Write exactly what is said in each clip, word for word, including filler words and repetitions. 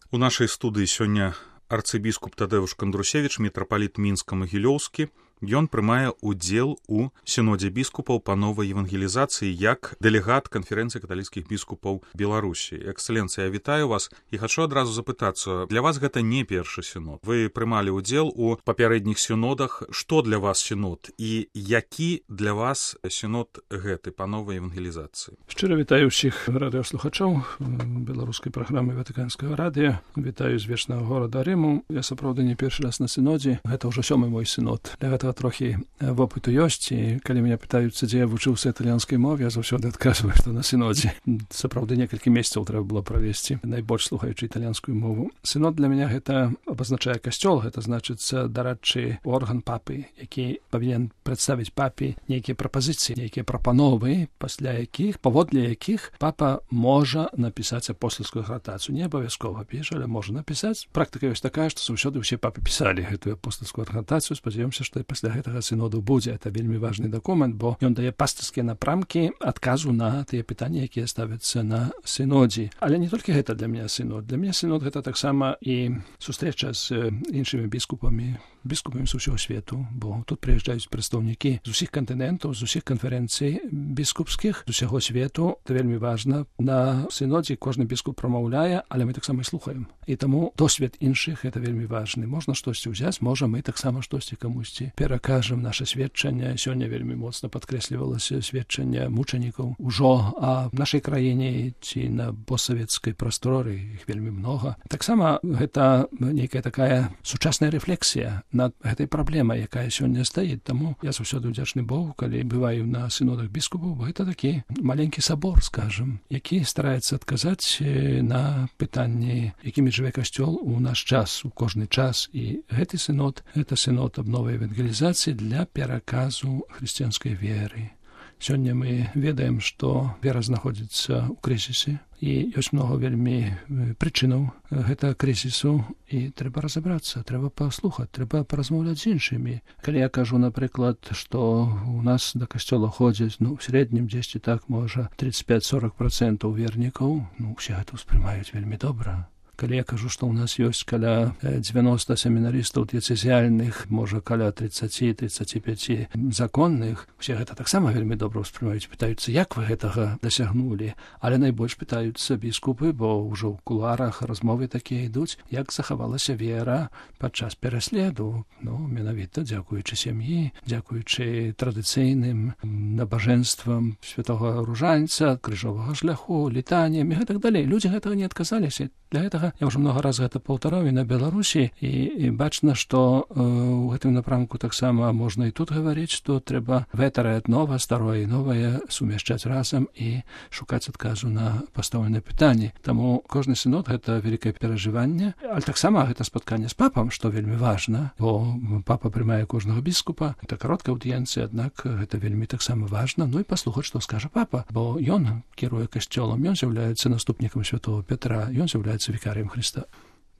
У нашай студыі сёння арцыбіскуп Тадэвуш Кандрусевіч, мітрапаліт Мінска-Магілёўскі. Ён прымае ўдзел у сінодзе біскупаў па новай евангелізацыі як дэлегат канферэнцыі каталіцкіх біскупаў Беларусі. Эксцэленцыя, я вітаю вас і хачу адразу запытацца, для вас гэта не першы сінод. Вы прымалі ўдзел у папярэдніх сінодах. Што для вас сінод і які для вас сінод гэты па новай евангелізацыі? Шчыра вітаю ўсіх радыёслухачоў беларускай праграмы Ватыканскага радыё. Вітаю з вечнага горада Рыму. Я сапраўды не першы раз на сінодзе. Гэта ўжо сёмы мой сінод. Для гэтага трохі вопыту ёсць, і калі мяне пытаюцца, дзе я вучыўся італьянскай мове, я заўсёды адказваю, што на сінодзе. Сапраўды некалькі месяцаў трэба было правесці, найбольш слухаючы італьянскую мову. Сінод для мяне гэта абазначае касцёл, гэта значыцца дарадчы орган папы, які павінен прадставіць папе нейкія прапазіцыі, нейкія прапановы, пасля якіх, паводле якіх папа можа напісаць апостальскую гратацыю. Не абавязкова піша, але можа напісаць. Практыка ёсць такая, што заўсёды ўсе папы пісалі гэтую апостальскую гратацыю. Спадзяёмся, што пасля гэтага сіноду будзе. Это вельмі важны дакумент, бо ён дае пастырскія напрамкі адказу на тыя пытанні, якія ставяцца на сінодзе. Але не толькі гэта для мяне сінод. Для мяне сінод гэта таксама і сустрэча з іншымі біскупамі, біскупамі з усяго свету, бо тут прыязджаюць прадстаўнікі з усіх кантынентаў, з усіх канферэнцый біскупскіх, з усяго свету. Это вельмі важна. На сінодзе кожны біскуп прамаўляе, але мы таксама і слухаем. І таму досвед іншых гэта вельмі важны. Можна штосьці ўзяць, можа мы таксама штосьці камусьці перакажам. Наша сведчанне сёння вельмі моцна падкрэслівалася сведчанне мучанікаў ужо, а в нашай краіне ці на постсавецкай прасторы іх вельмі многа. Таксама гэта нейкая такая сучасная рэфлексія над гэтай праблемай, якая сёння стаіць. Таму я заўсёды ўдзячны Богу, калі бываю на сінодах біскупаў, бо гэта такі маленькі сабор, скажам, які стараецца адказаць на пытанні, якімі жыве касцёл у наш час, у кожны час. І гэты сінод, гэта сінод аб новай евангелізацыі для пераказу хрысціянскай веры. Сёння мы ведаем, што вера знаходзіцца ў крызісе, і ёсць многа вельмі прычынаў гэтага крызісу, і трэба разабрацца, трэба паслухаць, трэба паразмаўляць з іншымі. Калі я кажу, напрыклад, што у нас да касцёла ходзяць, ну, в сярэднім дзесьці так, можа, тридцать пять сорок процентаў вернікаў, ну, усе гэта ўспрымаюць вельмі добра. Калі я кажу, што ў нас ёсць каля девяносто семінарыстаў дыяцэзіяльных, можа, каля тридцать тридцать пять законных, усе гэта таксама вельмі добра ўспрымаюць, пытаюцца, як вы гэтага дасягнулі. Але найбольш пытаюцца біскупы, бо ўжо ў кулуарах размовы такія ідуць, як захавалася вера падчас пераследу. Ну, менавіта дзякуючы сям'і, дзякуючы традыцыйным набажэнствам святога ружанца, крыжовага шляху, літанням і гэтак далей. Людзі гэтага не адказаліся. Для гэтага я ўжо многа раз гэта паўтараў і на Беларусі, і, і бачна, што э, у гэтым напрамку таксама можна і тут гаварыць, што трэба ветарае нова, старое і новае сумяшчаць разам і шукаць адказу на пастаўленыя пытанні. Таму кожны сінод гэта вялікае перажыванне, але таксама гэта спатканне з папам, што вельмі важна, бо папа прымае кожнага біскупа. Это кароткая аўдыенцыя, аднак гэта вельмі таксама важна. Ну і паслухаць, што скажа папа, бо ён кіруе касцёлам, ён з'яўляецца наступнікам святого Петра, ён з'яўляецца вікарыем Хрыста.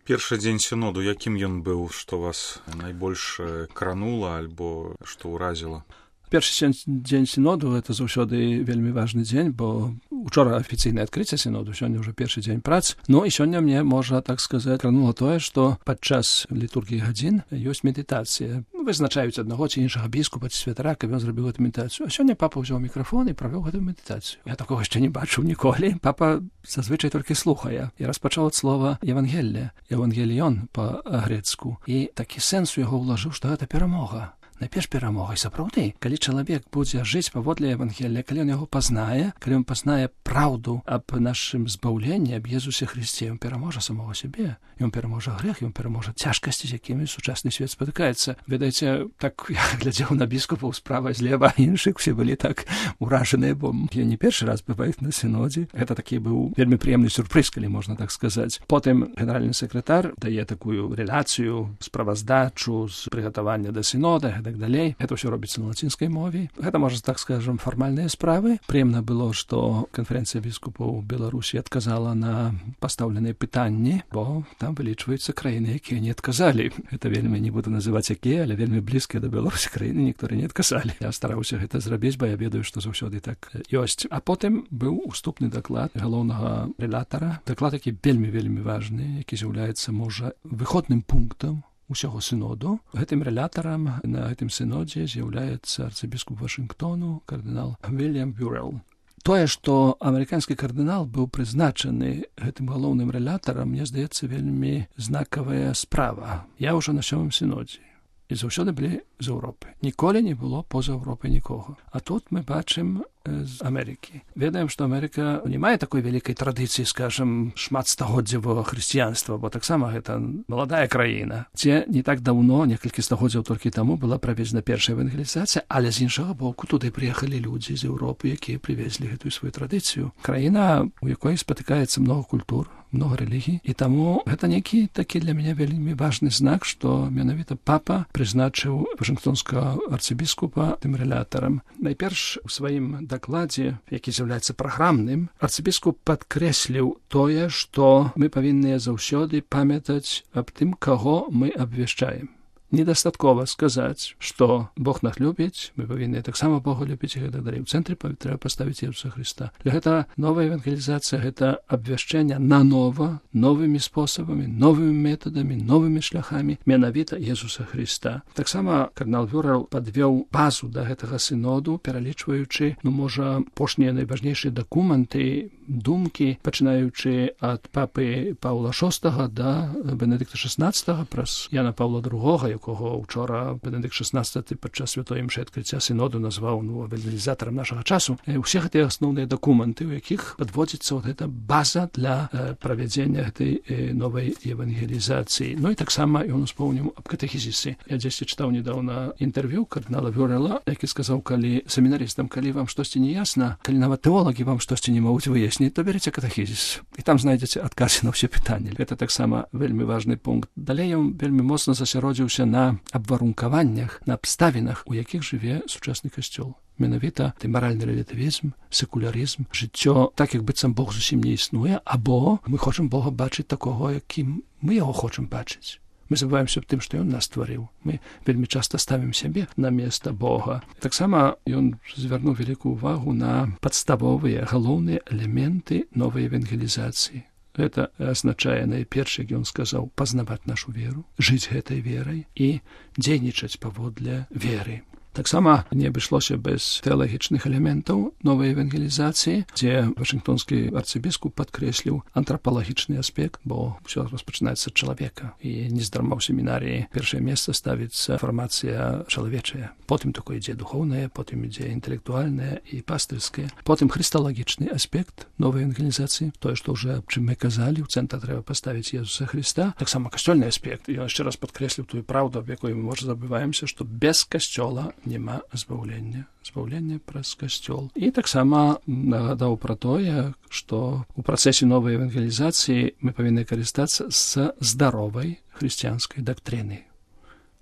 Першы дзень сіноду, якім ён быў, што вас найбольш кранула альбо што ўразіла? Першы дзень сіноду — гэта заўсёды вельмі важны дзень, бо учора афіцыйнае адкрыццё сіноду, сёння ўжо першы дзень прац. Ну і сёння мне, можна так сказаць, кранула тое, што падчас літургіі гадзін ёсць медытацыя. Вызначаюць аднаго ці іншага біскупа ці святара, каб ён зрабіў гэту медытацыю. А сёння папа ўзяў мікрафон і правёў гэту медытацыю. Я такога яшчэ не бачыў ніколі. Папа зазвычай толькі слухае. Я распачаў ад слова «евангелле», «евангеліон» па-грецку. І такі сэнс у яго ўлажыў, што гэта перамога. Найперш перамога. І сапраўды, калі чалавек будзе жыць паводле Евангелія, калі ён яго пазнае, калі ён пазнае праўду аб нашым збаўленні, аб Езусе Хрысце, ён пераможа самого сябе, ён пераможа грэх, ён пераможа цяжкасці, з якімі сучасны свет спатыкаецца. Ведаеце, так я глядзеў на біскупаў справа, злева, іншых, усе былі так уражаныя, бо я не першы раз бываю на сінодзе. Гэта такі быў вельмі прыемны сюрпрыз, калі можна так сказаць. Потым генеральны сакратар дае такую рэляцыю, справаздачу з прыгатавання да сінода. так далей. Гэта ўсё робіцца на лацінскай мове. Гэта, можна так скажам, фармальныя справы. Прыемна было, што канферэнцыя біскупаў Беларусі адказала на пастаўленыя пытанні, бо там вылічваюцца краіны, якія не адказалі. Гэта вельмі, не буду называць якія, але вельмі блізкія да Беларусі краіны, некаторыя не адказалі. Я стараўся гэта зрабіць, бо я ведаю, што заўсёды так ёсць. А потым быў уступны даклад галоўнага рэлятара. Даклад, які вельмі-вельмі важны, які з'яўляецца, можа, выходным пунктам усяго сыноду. Гэтым рэлятарам на гэтым сынодзе з'яўляецца арцыбіскуп Вашынгтону, кардынал Вільям Бюрэл. Тое, што амерыканскі кардынал быў прызначаны гэтым галоўным рэлятарам, мне здаецца, вельмі знакавая справа. Я ўжо на сёмым сынодзе. І заўсёды былі з Еўропы. Ніколі не было поза Еўропай нікога. А тут мы бачым з Амерыкі. Ведаем, што Амерыка не мае такой вялікай традыцыі, скажам, шматстагоддзевага хрысціянства, бо таксама гэта маладая краіна, дзе не так даўно, некалькі стагоддзяў толькі таму, была праведзена першая евангелізацыя, але з іншага боку туды прыехалі людзі з Еўропы, якія прывезлі гэтую сваю традыцыю. Краіна, у якой спатыкаецца многа культур, многа рэлігій, і таму гэта нейкі такі для мяне вельмі важны знак, што менавіта папа прызначыў вашынгтонскага арцыбіскупа тым рэлятарам. Найперш у сваім дакладзе, які з'яўляецца праграмным, арцыбіскуп падкрэсліў тое, што мы павінныя заўсёды памятаць аб тым, каго мы абвяшчаем. Недастаткова сказаць, што Бог нас любіць, мы павінны таксама Бога любіць і гэтак далей. У цэнтры трэба паставіць Ісуса Хрыста. Для гэта новая евангелізацыя, гэта абвяшчэнне нанова, новымі спосабамі, новымі метадамі, новымі шляхамі менавіта Ісуса Хрыста. Таксама кардынал Бюрэл падвёў базу да гэтага сыноду, пералічваючы, ну, можа, апошнія найважнейшыя дакументы, думкі, пачынаючы ад папы Паўла шостага да Бенедыкта шаснаццатага праз Яна Паўла другога, якога ўчора Бенедыкт шаснаццаты падчас святой імшы адкрыцця сыноду назваў, ну, евангелізатарам нашага часу. Усе гэтыя асноўныя дакументы, у якіх падводзіцца вот эта база для э, правядзення гэтай э, новай евангелізацыі. Ну і таксама ён успомніў аб катэхізісе. Я дзесьці чытаў недаўна інтэрв'ю кардынала Бюрэла, які сказаў, калі семінарыстам, калі вам штосьці не ясна, калі нават тэолагі вам штосьці не могуць выясніць, то береце катэхізіс. І там знайдзеце адказы на ўсе пытанні. Гэта таксама вельмі важны пункт. Далей ён вельмі моцна засяродзіўся на абварункаваннях, на абставінах, у якіх жыве сучасны касцёл. Менавіта ты маральны рэлятывізм, секулярызм, жыццё так, як быццам Бог зусім не існуе, або мы хочам Бога бачыць такога, якім мы яго хочам бачыць. Мы забываемся аб тым, што ён нас стварыў. Мы вельмі часта ставім сябе на месца Бога. Таксама ён звярнуў вялікую ўвагу на падставовыя, галоўныя элементы новай евангелізацыі. Гэта азначае, найперш, як ён сказаў, пазнаваць нашу веру, жыць гэтай верай і дзейнічаць паводле веры. Таксама не абышлося без тэалагічных элементаў новай евангелізацыі, дзе вашынгтонскі арцыбіскуп падкрэсліў антрапалагічны аспект, бо ўсё распачынаецца ад чалавека. І нездарма ў семінарыі першае месца ставіцца фармацыя чалавечая. Потым такое ідзе духоўнае, потым ідзе інтэлектуальнае і пастырскае. Потым хрысталагічны аспект новай евангелізацыі, тое, што ўжо аб чым мы казалі, у цэнтр трэба паставіць Ісуса Хрыста. Таксама касцёльны аспект. Ён яшчэ раз падкрэсліў тую праўду, аб якой мы, можа, забываемся, што без касцёла няма збаўлення, збаўлення праз касцёл. І таксама нагадаў пра тое, што ў працэсе новай евангелізацыі мы павінны карыстацца з здаровай хрысціянскай дактрыны,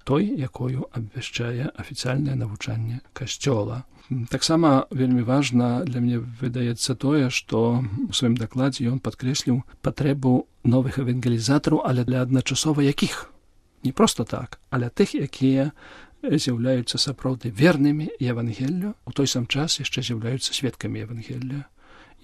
той, якою абвяшчае афіцыяльнае навучанне касцёла. Таксама вельмі важна для мяне выдаецца тое, што ў сваім дакладзе ён падкрэсліў патрэбу новых евангелізатараў, але для адначасова якіх? Не проста так, але тых, якія з'яўляюцца сапраўды вернымі Евангеллю, у той сам час яшчэ з'яўляюцца сведкамі Евангелля.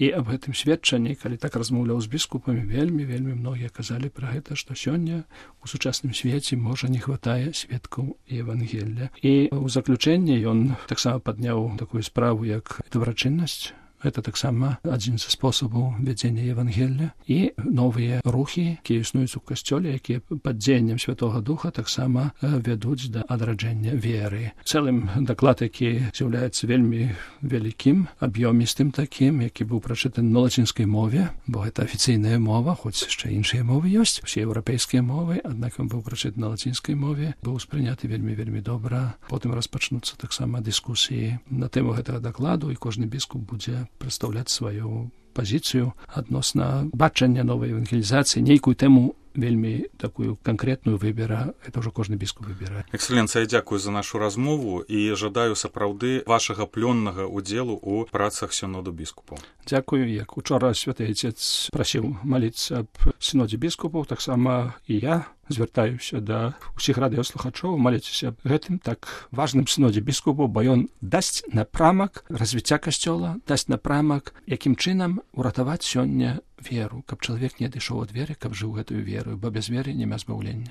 І аб гэтым сведчанні, калі так размаўляў з біскупамі, вельмі-вельмі многія казалі пра гэта, што сёння у сучасным свеце, можа, не хватае сведкаў Евангелля. І ў заключэнні ён таксама падняў такую справу, як дабрачыннасць. Гэта таксама адзін з спосабаў вядзення Евангелля. І новыя рухі, якія існуюць у касцёле, якія пад дзеяннем Святога Духа таксама вядуць да адраджэння веры. Цэлым даклад, які з'яўляецца вельмі вялікім, аб'ёмістым такім, які быў прачытаны на лацінскай мове, бо гэта афіцыйная мова, хоць яшчэ іншыя мовы ёсць, усе еўрапейскія мовы, аднак ён быў прачытаны на лацінскай мове, быў спрыняты вельмі-вельмі добра. Потым распачнуцца таксама дыскусіі на тэму гэтага дакладу, і кожны біскуп будзе прадстаўляць сваю пазіцыю адносна бачання новай евангелізацыі, нейкую тэму вельмі такую канкрэтную выбера, это ўжо кожны біскуп выбірае. Экселенцыя, дзякую за нашу размову і жадаю сапраўды вашага плённага удзелу ў працах сіноду біскупаў. Дзякую, як учора святы Айцец прасіў маліцца аб сінодзе біскупаў, таксама і я звяртаюся да ўсіх радыёслухачоў, маліцеся аб гэтым так важным сінодзе біскупаў, бо ён дасць напрамак развіцця касцёла, дасць напрамак, якім чынам уратаваць сёння веру, каб чалавек не адышоў ад веры, каб жыў гэтую веру, бо без веры няма збаўлення.